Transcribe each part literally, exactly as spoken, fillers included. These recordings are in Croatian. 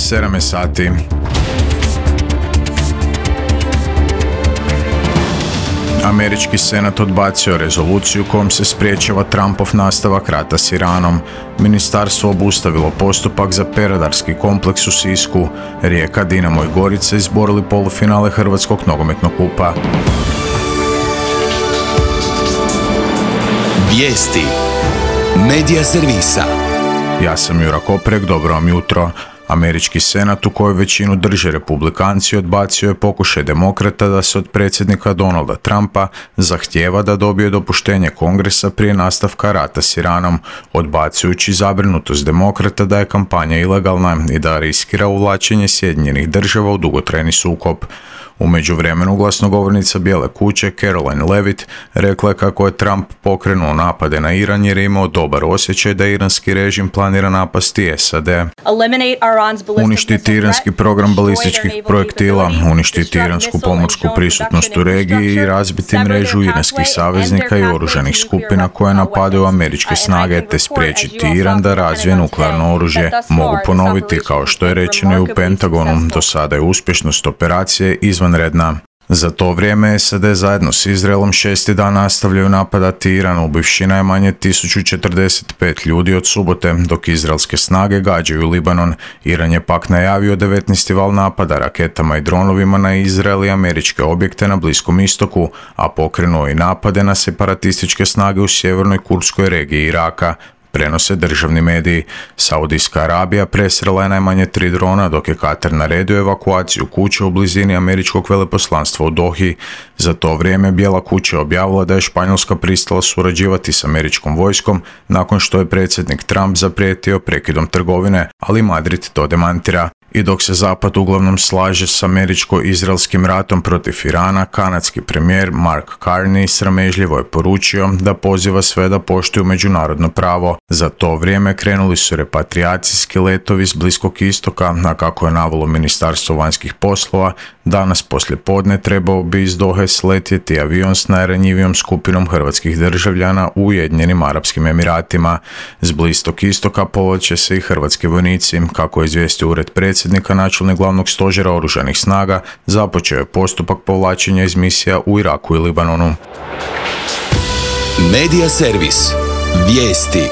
sedam sati. Američki senat odbacio rezoluciju kojom se spriječava Trumpov nastavak rata s Iranom. Ministarstvo obustavilo postupak za peradarski kompleks u Sisku. Rijeka, Dinamo i Gorica izborili polufinale Hrvatskog nogometnog kupa. Vijesti Medija servisa. Ja sam Jura Koprek, dobro vam jutro. Američki senat, u kojoj većinu drže republikanci, odbacio je pokušaj demokrata da se od predsjednika Donalda Trumpa zahtijeva da dobije dopuštenje Kongresa prije nastavka rata s Iranom, odbacujući zabrinutost demokrata da je kampanja ilegalna i da riskira uvlačenje Sjedinjenih Država u dugotrajni sukob. U međuvremenu glasnogovornica Bijele kuće Caroline Levitt rekla je kako je Trump pokrenuo napade na Iran jer je imao dobar osjećaj da iranski režim planira napasti S A D. Uništiti iranski program balističkih projektila, uništiti iransku pomorsku prisutnost u regiji i razbiti mrežu iranskih saveznika i oružanih skupina koje napadaju američke snage te spriječiti Iran da razvije nuklearno oružje. Mogu ponoviti, kao što je rečeno i u Pentagonu, do sada je uspješnost operacije izvanredna. Za to vrijeme S A D zajedno s Izraelom šesti dan nastavljaju napadati Iran, ubivši najmanje tisuću četrdeset pet ljudi od subote, dok izraelske snage gađaju Libanon. Iran je pak najavio devetnaesti val napada raketama i dronovima na Izrael i američke objekte na Bliskom istoku, a pokrenuo i napade na separatističke snage u sjevernoj kurdskoj regiji Iraka. Prenose državni mediji. Saudijska Arabija presrela je najmanje tri drona, dok je Katar naredio evakuaciju kuće u blizini američkog veleposlanstva u Dohi. Za to vrijeme Bijela kuća objavila da je Španjolska pristala surađivati s američkom vojskom nakon što je predsjednik Trump zaprijetio prekidom trgovine, ali Madrid to demantira. I dok se Zapad uglavnom slaže s američko-izraelskim ratom protiv Irana, kanadski premijer Mark Carney sramežljivo je poručio da poziva sve da poštuju međunarodno pravo. Za to vrijeme krenuli su repatrijacijski letovi s Bliskog istoka, a kako je navelo Ministarstvo vanjskih poslova, danas poslijepodne trebao bi iz Dohe sletjeti avion s najranjivijom skupinom hrvatskih državljana u Ujedinjenim Arapskim Emiratima. S Bliskog istoka povlače se i hrvatski vojnici. Kako je izvijestio ured predsjednika, načelnik glavnog stožera oružanih snaga započeo je postupak povlačenja iz misija u Iraku i Libanonu. Medija servis. Vijesti.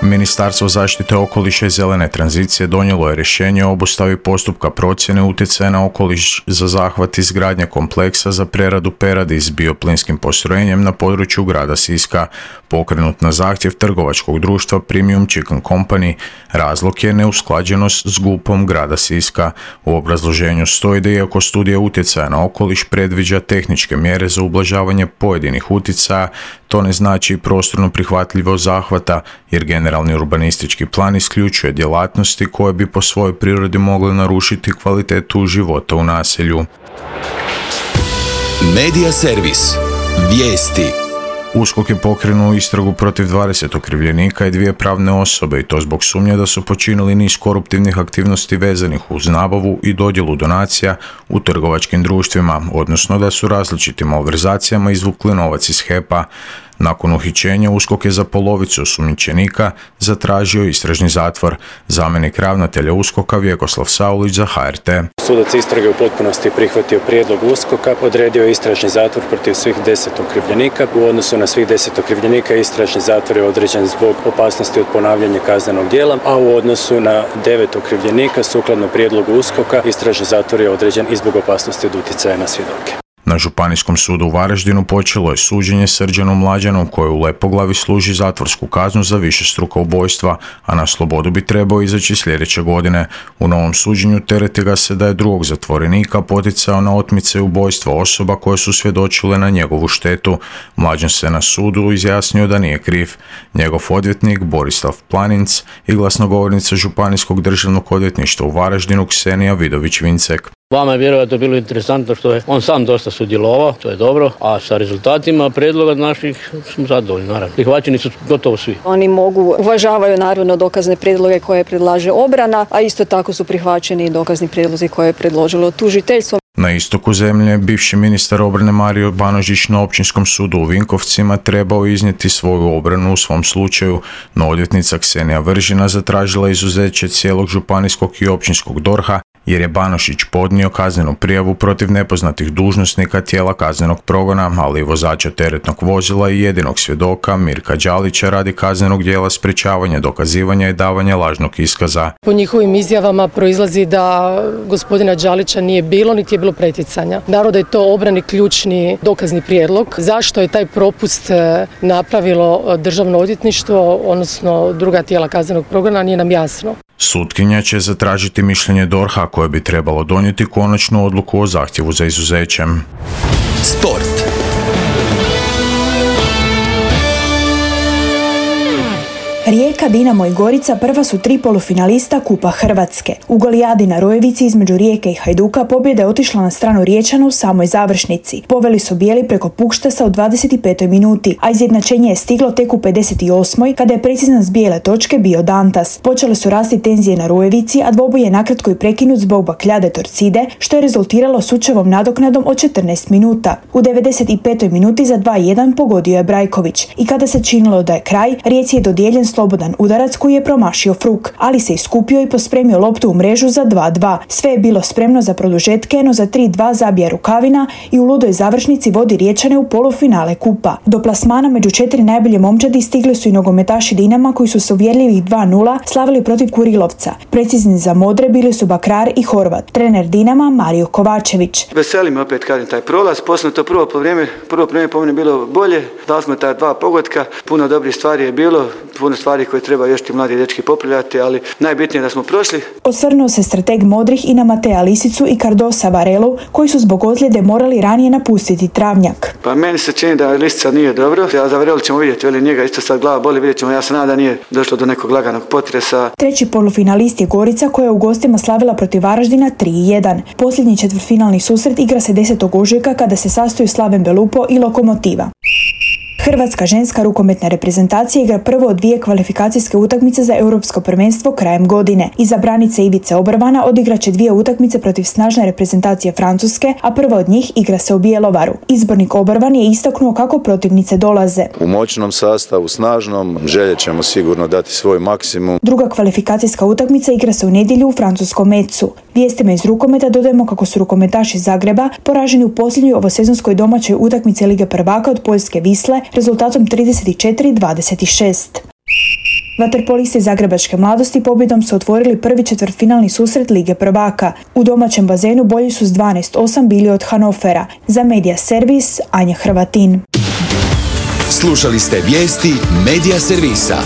Ministarstvo zaštite okoliša i zelene tranzicije donijelo je rješenje o obustavi postupka procjene utjecaja na okoliš za zahvat izgradnje kompleksa za preradu peradi s bioplinskim postrojenjem na području grada Siska, pokrenut na zahtjev trgovačkog društva Premium Chicken Company. Razlog je neusklađenost s G U P-om grada Siska. U obrazloženju stoji da iako studija utjecaja na okoliš predviđa tehničke mjere za ublažavanje pojedinih utjecaja, to ne znači prostorno prihvatljivo zahvata, jer generalni urbanistički plan isključuje djelatnosti koje bi po svojoj prirodi mogle narušiti kvalitetu života u naselju. Medija servis. Vijesti. USKOK je pokrenuo istragu protiv dvadeset okrivljenika i dvije pravne osobe, i to zbog sumnje da su počinili niz koruptivnih aktivnosti vezanih uz nabavu i dodjelu donacija u trgovačkim društvima, odnosno da su različitim malverzacijama izvukli novac iz H E P-a. Nakon uhićenja USKOK je za polovicu osumnjičenika zatražio istražni zatvor. Zamjenik ravnatelja USKOK-a Vjekoslav Saulić za H R T. Sudac istrage u potpunosti prihvatio prijedlog USKOK-a, odredio je istražni zatvor protiv svih deset okrivljenika. U odnosu na svih deset okrivljenika istražni zatvor je određen zbog opasnosti od ponavljanja kaznenog djela, a u odnosu na devet okrivljenika sukladno prijedlogu USKOK-a istražni zatvor je određen i zbog opasnosti od utjecaja na svjedoke. Na Županijskom sudu u Varaždinu počelo je suđenje Srđanu Mlađanu, koji u Lepoglavi služi zatvorsku kaznu za višestruka ubojstva, a na slobodu bi trebao izaći sljedeće godine. U novom suđenju tereti ga se da je drugog zatvorenika poticao na otmice i ubojstva osoba koje su svjedočile na njegovu štetu. Mlađan se na sudu izjasnio da nije kriv. Njegov odvjetnik Borislav Planinc i glasnogovornica Županijskog državnog odvjetništva u Varaždinu Ksenija Vidović-Vincek. Vama je vjerojatno bilo interesantno što je on sam dosta sudjelovao, to je dobro, a sa rezultatima predloga naših smo zadovoljni, naravno. Prihvaćeni su gotovo svi. Oni mogu, uvažavaju naravno dokazne prijedloge koje predlaže obrana, a isto tako su prihvaćeni i dokazni prijedlozi koje je predložilo tužiteljstvo. Na istoku zemlje bivši ministar obrane Mario Banožić na Općinskom sudu u Vinkovcima trebao iznijeti svoju obranu u svom slučaju, no odvjetnica Ksenija Vržina zatražila izuzeće cijelog županijskog i općinskog dorha jer je Banožić podnio kaznenu prijavu protiv nepoznatih dužnosnika tijela kaznenog progona, ali i vozača teretnog vozila i jedinog svjedoka Mirka Đalića radi kaznenog djela sprječavanja dokazivanja i davanja lažnog iskaza. Po njihovim izjavama proizlazi da gospodina Đalića nije bilo, niti je bilo pretjecanja. Naravno da je to obrani ključni dokazni prijedlog. Zašto je taj propust napravilo Državno odvjetništvo, odnosno druga tijela kaznenog progona, nije nam jasno. Sutkinja će zatražiti mišljenje dorha koje bi trebalo donijeti konačnu odluku o zahtjevu za izuzećem. Sport. Rijeka, Dinamo i Gorica prva su tri polufinalista Kupa Hrvatske. U golijadi na Rojevici između Rijeke i Hajduka pobjeda je otišla na stranu Riječana u samoj završnici. Poveli su bijeli preko Pukštasa u dvadeset petoj minuti, a izjednačenje je stiglo tek u pedeset osmoj kada je precizan s bijele točke bio Dantas. Počele su rasti tenzije na Rojevici, a dvoboj je nakratko i prekinut zbog bakljade Torcide, što je rezultiralo sučevom nadoknadom od četrnaest minuta. U devedeset petoj minuti za dva jedan pogodio je Brajković i kada se činilo da je kraj, Rijeci je dodijeljen slobodan udarac koji je promašio Fruk, ali se iskupio i pospremio loptu u mrežu za dva dva. Sve je bilo spremno za produžetke, no za tri dva zabija Rukavina i u ludoj završnici vodi Riječane u polufinale Kupa. Do plasmana među četiri najbolje momčadi stigli su i nogometaši Dinama koji su s uvjerljivih dva nula slavili protiv Kurilovca. Precizni za modre bili su Bakrar i Horvat. Trener Dinama Mario Kovačević. Veseli me opet kažem taj prolaz, poslije to prvo vrijeme, prvo vrijeme po meni bilo bolje, dali smo ta dva pogotka, puno dobrih stvari je bilo, puno stvari koje treba još ti mladi dečki popravljati, ali najbitnije je da smo prošli. Osvrnuo se strateg modrih i na Matea Lisicu i Cardosa Varelu, koji su zbog ozljede morali ranije napustiti Travnjak. Pa meni se čini da Lisica nije dobro, a za Varelu ćemo vidjeti, veli njega isto sad glava boli, vidjet ćemo, ja se nadam da nije došlo do nekog laganog potresa. Treći polufinalist je Gorica koja je u gostima slavila protiv Varaždina tri jedan. Posljednji četvrtfinalni susret igra se desetog ožujka kada se sastoju Slaven Belupo i Lokomotiva. Hrvatska ženska rukometna reprezentacija igra prvo od dvije kvalifikacijske utakmice za europsko prvenstvo krajem godine. Iza branice Ivice Obrvana odigraće dvije utakmice protiv snažne reprezentacije Francuske, a prva od njih igra se u Bjelovaru. Izbornik Obrvan je istaknuo kako protivnice dolaze. U moćnom sastavu, snažnom, željet ćemo sigurno dati svoj maksimum. Druga kvalifikacijska utakmica igra se u nedjelju u francuskom Metzu. Vijestima iz rukometa dodajemo kako su rukometaši Zagreba poraženi u posljednjoj ovosezonskoj domaćoj utakmici Lige prvaka od Poljske Visle rezultatom trideset četiri dvadeset šest. Vaterpolisti Zagrebačke mladosti pobjedom su otvorili prvi četvrtfinalni susret Lige prvaka. U domaćem bazenu bolji su s dvanaest osam bili od Hanofera. Za Medija Servis, Anja Hrvatin. Slušali ste vijesti Medija Servisa.